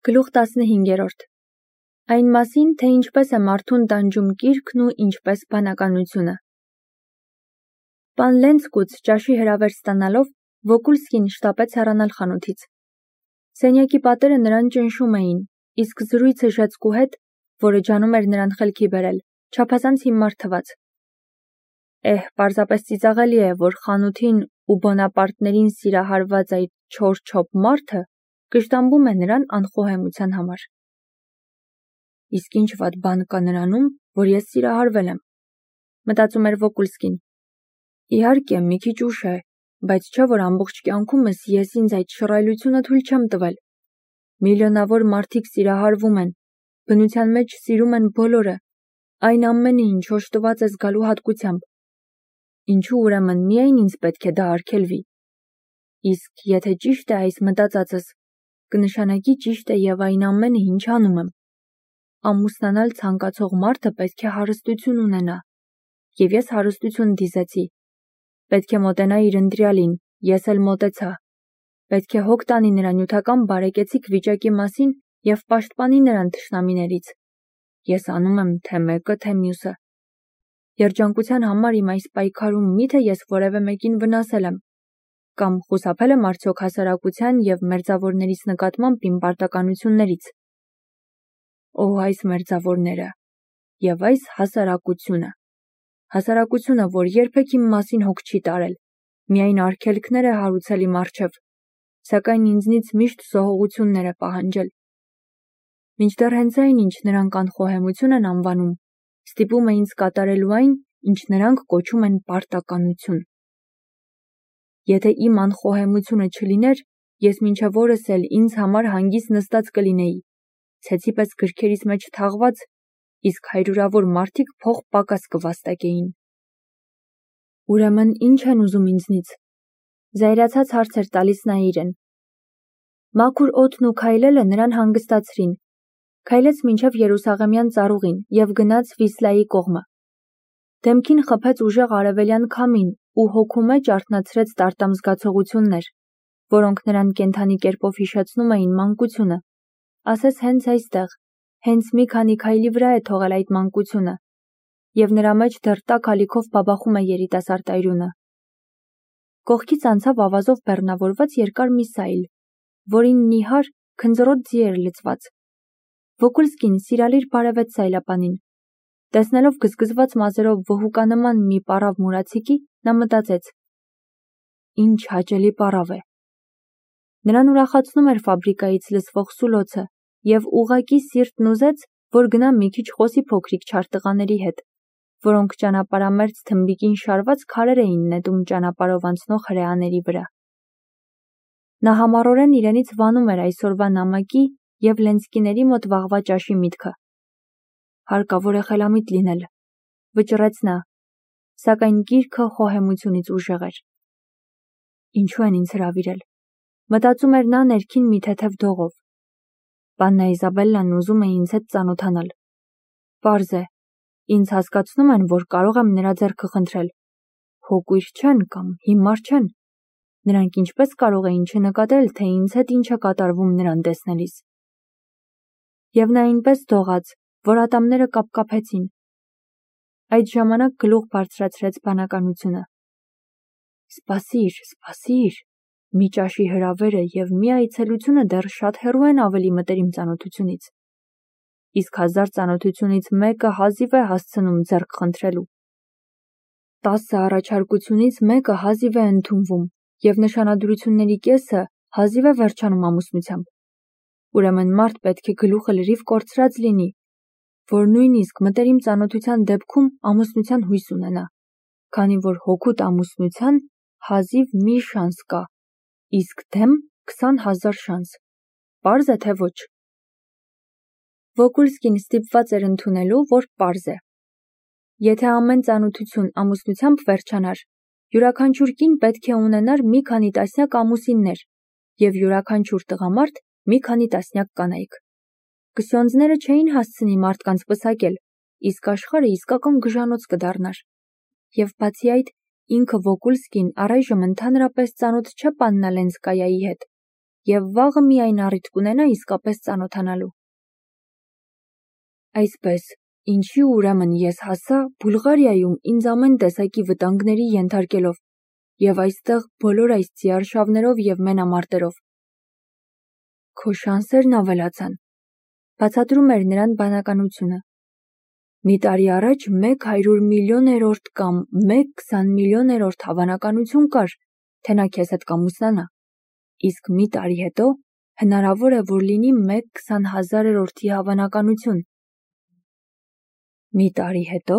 Գլուխ 15. Այն մասին, թե ինչպես է մարդուն տանջում կիրքն ու ինչպես բանականությունը։ Պան Լենցկուց ճաշի հրավեր ստանալով Վոկուլսկին շտապեց հեռանալ խանութից։ Սենյակի պատերը նրան ճնշում էին, իսկ զրույցը Ժեցկու հետ, որը ջանում էր նրան խելքի բերել, չափազանց հիմար թվաց։ Պարզապես ծիծաղելի է, որ խանութին ու Բոնապարտներին սիրահարված այդ չոր-չոփ մարդը կշտամբում է նրան անխոհեմության համար։ Իսկ ինչ վատ բան կա նրանում, որ ես սիրահարվել եմ, մտածում էր Վոկուլսկին։ Իհարկե, մի քիչ ուշ է, բայց չէ որ ամբողջ կյանքումս ես ինձ այդ շռայլությունը թույլ չեմ տվել։ Միլիոնավոր մարդիկ սիրահարվում են, բնության մեջ սիրում են բոլորը, այն ամենը, ինչ օժտված է զգալու հատկությամբ։ Ինչու ուրեմն միայն ինձ պետք է դա արգելվի։ Իսկ եթե ճիշտ է այս մտածածս, կնշանակի ճիշտ է և այն ամենը, ինչ անում եմ։ Ամուսնանալ ցանկացող մարդը պետք է հարստություն ունենա, և ես հարստություն դիզեցի։ Պետք է մոտենա իր ընտրյալին, ես էլ մոտեցա։ Պետք է հոգ տանի նրա նյութական բարեկեցիկ վիճակի մասին և պաշտպանի նրան թշնամիներից։ Ես անում եմ թե մեկը, թե մյուսը։ Երջանկության համար իմ այս պայքարում միթե ես որևէ մեկին վնասել եմ, կամ խուսափել եմ արդյոք հասարակության և մերձավորներիս նկատմամբ իմ պարտականություններից։ Այս մերձավորները և այս հասարակությունը։ Հասարակությունը, որ երբեք իմ մասին հոգ չի տարել, միայն արգելքներ է հարուցել իմ առջև, սակայն ինձնից միշտ զոհողություններ է պահանջել։ Մինչդեռ հենց այն, ինչ նրանք անխոհեմություն են անվանում, ստիպում է ինձ կատարելու այն, ինչ նրանք կոչում են պարտականություն։ Եթե իմ անխոհեմությունը չլիներ, ես մինչև օրս էլ ինձ համար հանգիստ նստած կլինեի, ցեցի պես գրքերիս մեջ թաղված, իսկ հարյուրավոր մարդիկ փող պակաս կվաստակեին։ Ուրեմն ինչ են ուզում ինձնից։ Զայրացած հարց էր տալիս նա իրեն։ Մաքուր օդն ու քայլելը նրան հանգստացրին։ Քայլեց մինչև Երուսաղեմյան ծառուղին և գնաց Վիսլայի կողմը։ Դեմքին խփեց ուժեղ արևելյան քամին ու հոգու մեջ արթնացրեց տարտամ զգացողություններ, որոնք նրան կենդանի կերպով հիշեցնում էին մանկությունը, ասես հենց այստեղ, հենց մի քանի քայլի վրա է թողել այդ մանկությունը, և նրա մեջ դեռ տաք ալիքով բաբախում է երիտասարդ այրունը։ Կողքից անցավ ավազով բեռնավորված երկար մի սայլ, որին նիհար, քնձռոտ ձի էր լցված։ Վոկուլսկին սիրալիր բարևեց սայլապանին։ Տեսնելով գզգզված մազերով վհուկանման մի պառավ մուրացիկի, նա մտածեց. Ինչ հաճելի պառավ է։ Նրան ուրախացնում էր ֆաբրիկայից լսվող սուլոցը, և ուղղակի սիրտն ուզեց, որ գնա մի քիչ խոսի փոքրիկ չար տղաների հետ, որոնք ճանապարհամերձ թմբիկին շարված քարեր էին նետում ճանապարհով անցնող հրեաների վրա։ Նա համառորեն իրենից վանում էր այսօրվա նամակի և Լենցկիների մոտ վաղվա ճաշի միտքը։ Հարկավոր է խելամիտ լինել, վճռեց նա, սակայն գիրքը խոհեմությունից ուժեղ էր։ Ինչու են ինձ հրավիրել, մտածում էր նա ներքին մի թեթև դողով։ Պաննա Իզաբելլան ուզում է ինձ հետ ծանոթանալ։ Պարզ է, ինձ հասկացնում են, որ կարող եմ նրա ձեռքը խնդրել։ Հոգույր չեն կամ հիմար չեն։ Նրանք ինչպես կարող էին չնկատել, թե ինձ հետ ինչ է կատարվում նրան տեսնելիս։ Եվ նա այնպես դողաց, որ ատամները կապկապեցին։ Այդ ժամանակ գլուխ բարձրացրեց բանականությունը։ Սպասիր, սպասիր, մի ճաշի հրավերը և մի այցելությունը դեռ շատ հեռու են ավելի մտերիմ ծանոթությունից։ Իսկ 1000 ծանոթությունից մեկը հազիվ է հասցնում ձեռք խնդրելու։ 10 առաջարկությունից մեկը հազիվ է ընդունվում, և նշանադրությունների կեսը հազիվ է վերջանում ամուսնությամբ։ Ուրեմն մարդ պետք է գլուխը լրիվ կորցրած լինի, որ նույնիսկ մտերիմ ծանոթության դեպքում ամուսնության հույս ունենա, քանի որ հօգուտ ամուսնության հազիվ մի շանս կա, իսկ դեմ 20,000 շանս։ Պարզ է, թե ոչ։ Վոկուլսկին ստիպված էր ընդունելու, որ պարզ է։ Եթե ամեն ծանոթություն ամուսնությամբ վերջանար, յուրաքանչյուր կին պետք է ունենար մի քանի տասնյակ ամուսիններ և յուրաքանչյուր տղամարդ մի քանի տասնյակ կանայք։ Կսյոնձները չէին հասցնի մարդկանց պսակել, իսկ աշխարհը իսկական գժանոց կդառնար։ Եվ բացի այդ, ինքը Վոկուլսկին առայժմ ընդհանրապես ծանոթ չէ Պաննա Լենսկայայի հետ, եւ վաղը միայն առիթ կունենա իսկապես ծանոթանալու։ Այսպես, ինչի ուրեմն ես հասա Բուլղարիայում ինձ ամեն տեսակի վտանգների ենթարկելով եւ այստեղ բոլոր այս ծիարշավներով եւ մենամարտերով։ Քո շանսերն ավելացան, բացատրում էր նրան բանականությունը։ Մի տարի առաջ 100 միլիոներորդ կամ 1-20 միլիոներորդ հավանականություն կար, թե նա քեզ հետ կամուսնանա, իսկ մի տարի հետո հնարավոր է, որ լինի 1-20 հազարերորդի հավանականություն։ Մի տարի հետո,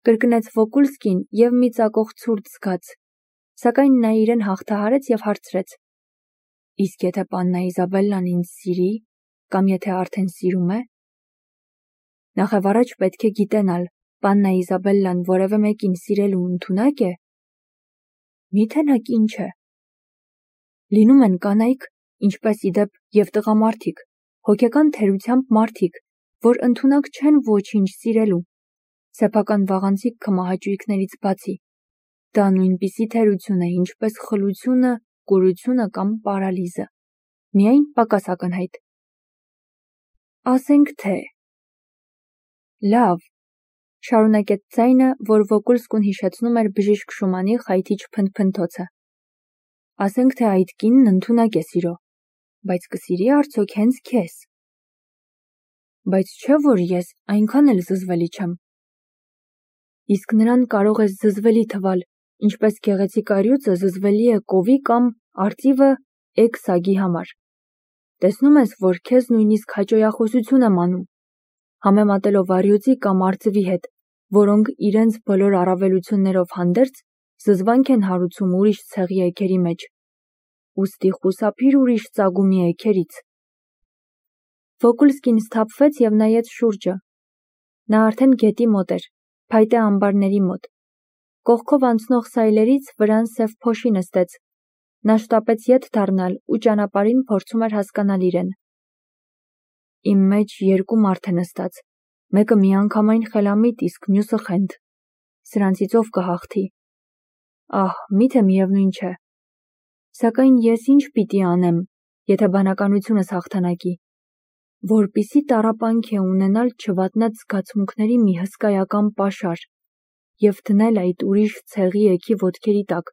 կրկնեց Վոկուլսկին եւ մի ծակող ցուրտ զգաց, սակայն նա իրեն հաղթահարեց եւ հարցրեց. Իսկ եթե պաննա Իզաբելլան ինձ սիրի, կամ եթե արդեն սիրում է։ Նախևառաջ պետք է գիտենալ, պաննա Իզաբելլան որևէ մեկին սիրելու ընդունակ է։ Միթե նա ինչ է։ Լինում են կանայք, ինչպես իդեպ եւ տղամարդիկ, հոգեկան թերությամբ մարդիկ, որ ընդունակ չեն ոչինչ սիրելու, սեփական վաղանցիկ քմահաճույքներից բացի։ Դա նույնպիսի թերություն է, ինչպես խլությունը, կուրությունը կամ պարալիզը, միայն պակաս ակնհայտ։ Ասենք թե… Լավ, շարունակեց ձայնը, որ Վոկուլսկուն հիշեցնում էր բժիշկ Շումանի խայթիչ փնթփնթոցը։ Ասենք թե այդ կինն ընդունակ է սիրո, բայց կսիրի արդյոք հենց քեզ։ Բայց չէ՞ որ ես այնքան էլ զզվելի չեմ։ Իսկ նրան կարող ես զզվելի թվալ, ինչպես գեղեցիկ առյուծը զզվելի է կովի կամ արծիվը էգ սագի համար։ Տեսնում ես, որ քեզ նույնիսկ հաճոյախոսություն եմ անում, համեմատելով առյուծի կամ արծվի հետ, որոնք իրենց բոլոր առավելություններով հանդերձ զզվանք են հարուցում ուրիշ ցեղի էգերի մեջ։ Ուստի խուսափիր ուրիշ ծագումի էգերից։ Վոկուլսկին սթափվեց եւ նայեց շուրջը։ Նա արդեն գետի մոտ էր, փայտե ամբարների մոտ։ Կողքով անցնող սայլերից վրան սև փոշի նստեց։ Նա շտապեց ետ դառնալ ու ճանապարհին փորձում էր հասկանալ իրեն։ Իմ մեջ երկու մարդ է նստած, մեկը միանգամայն խելամիտ, իսկ մյուսը խենթ։ Սրանցից ով կհաղթի։ Ահ, միթե միևնույն չէ։ Սակայն ես ինչ պիտի անեմ, եթե բանականությունս հաղթանակի։ Որպիսի տառապանք է ունենալ չվատնած զգացմունքների մի հսկայական պաշար եւ դնել այդ ուրիշ ցեղի էգի ոտքերի տակ,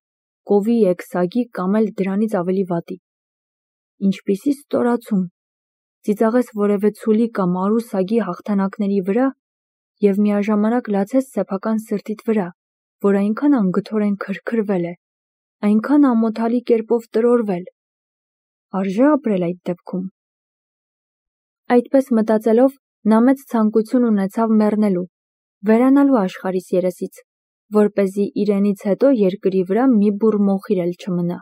կովի էգ սագի կամ էլ դրանից ավելի վատի։ Ինչպիսի ստորացում։ Ծիծաղես որևէ ցուլի կամ արու սագի հաղթանակների վրա եւ միաժամանակ լացես սեփական սրտիդ վրա, որ այնքան անգթորեն քրքրվել է, այնքան ամոթալի կերպով տրորվել։ Արժե ապրել այդ դեպքում։ Այդպես մտածելով, նա մեծ ցանկություն ունեցավ մեռնելու, վերանալու աշխարհիս երեսից, որպեսզի իրենից հետո երկրի վրա մի բուռ մոխիր էլ չմնա։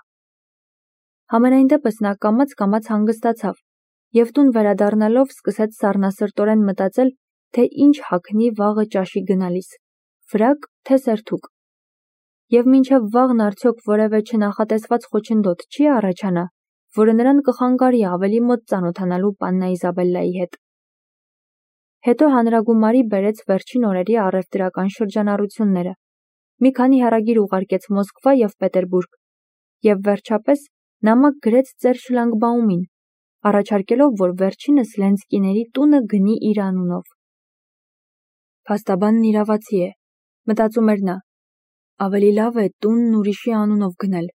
Համենայն դեպս նա կամաց հանգստացավ եւ տուն վերադառնալով սկսեց սառնասրտորեն մտածել, թե ինչ հագնի վաղը ճաշի գնալիս, ֆրակ թե սերթուկ։ Եվ մինչև վաղն արդյոք որևէ չնախատեսված խոչընդոտ չի առաջանա, որը նրան կխանգարի ավելի մոտ ծանոթանալու պաննա Իզաբելլայի հետ։ Հետո հանրագումարի բերեց վերջին օրերի առևտրական շրջանառությունները, մի քանի հեռագիր ուղարկեց Մոսկվա եւ Պետերբուրգ, եւ վերջապես նամակ գրեց ծեր Շլանգբաումին, առաջարկելով, որ վերջինս Լենսկիների տունը գնի իր անունով։ Փաստաբանն իրավացի է, մտածում էր նա, ավելի լավ է տունն ուրիշի անունով գնել,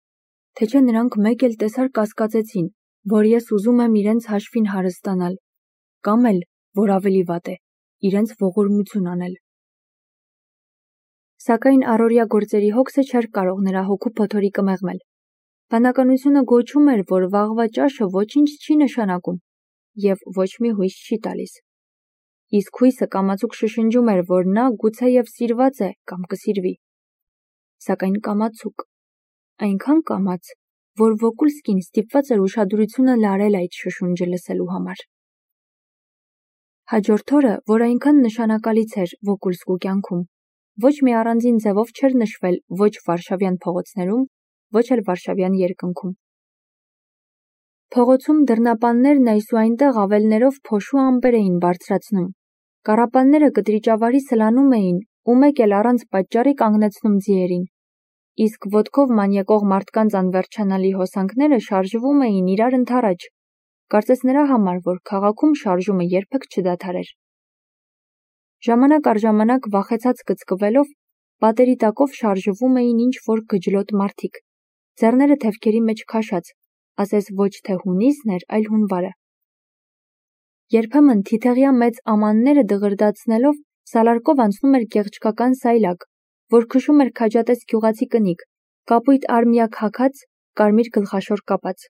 թե չէ նրանք մեկ էլ տեսար կասկածեցին, որ ես ուզում եմ իրենց հաշվին հարստանալ, կամ էլ, որ ավելի վատ է, իրենց ողորմություն անել։ Սակայն առօրյա գործերի հոգսը չէր կարող նրա հոգու փոթորիկը մեղմել։ Բանականությունը գոչում էր, որ վաղվա ճաշը ոչինչ չի նշանակում եւ ոչ մի հույս չի տալիս։ Իսկ հույսը կամացուկ շշնջում էր, որ նա գուցեև սիրված է կամ կսիրվի։ Սակայն կամացուկ, այնքան կամաց, որ Վոկուլսկին ստիպված էր ուշադրությունը լարել այդ շշունջը լսելու համար։ Հաջորդ օրը, որ այնքան նշանակալից էր Վոկուլսկու կյանքում, ոչ մի առանձին ձևով չէր նշվել ոչ Վարշավյան փողոցներում, ոչ էլ Վարշավյան երկնքում։ Փողոցում դռնապաններն այս ու այնտեղ ավելներով փոշու ամպեր էին բարձրացնում, կառապանները կտրիճավարի սլանում էին ու մեկ էլ առանց պատճառի կանգնեցնում ձիերին։ իսկ ոտքով մանյակող մարդկանց անվերջանալի հոսանքները շարժվում էին իրար ընդառաջ, կարծես նրա համար, որ քաղաքում շարժումը երբեք չդադարեր։ Ժամանակ առ ժամանակ վախեցած կծկվելով, պատերի տակով շարժվում էին ինչ-որ գջլոտ մարդիկ, ձեռները թևքերի մեջ քաշած, ասես ոչ թե հունիսն էր, այլ հունվարը։ Երբեմն թիթեղյա մեծ ամանները դղրդացնելով սալարկով անցնում էր գեղչկական սայլակ, որ քշում էր քաջատես գյուղացի կնիկ, կապույտ արմիակ հագած, կարմիր գլխաշոր կապած։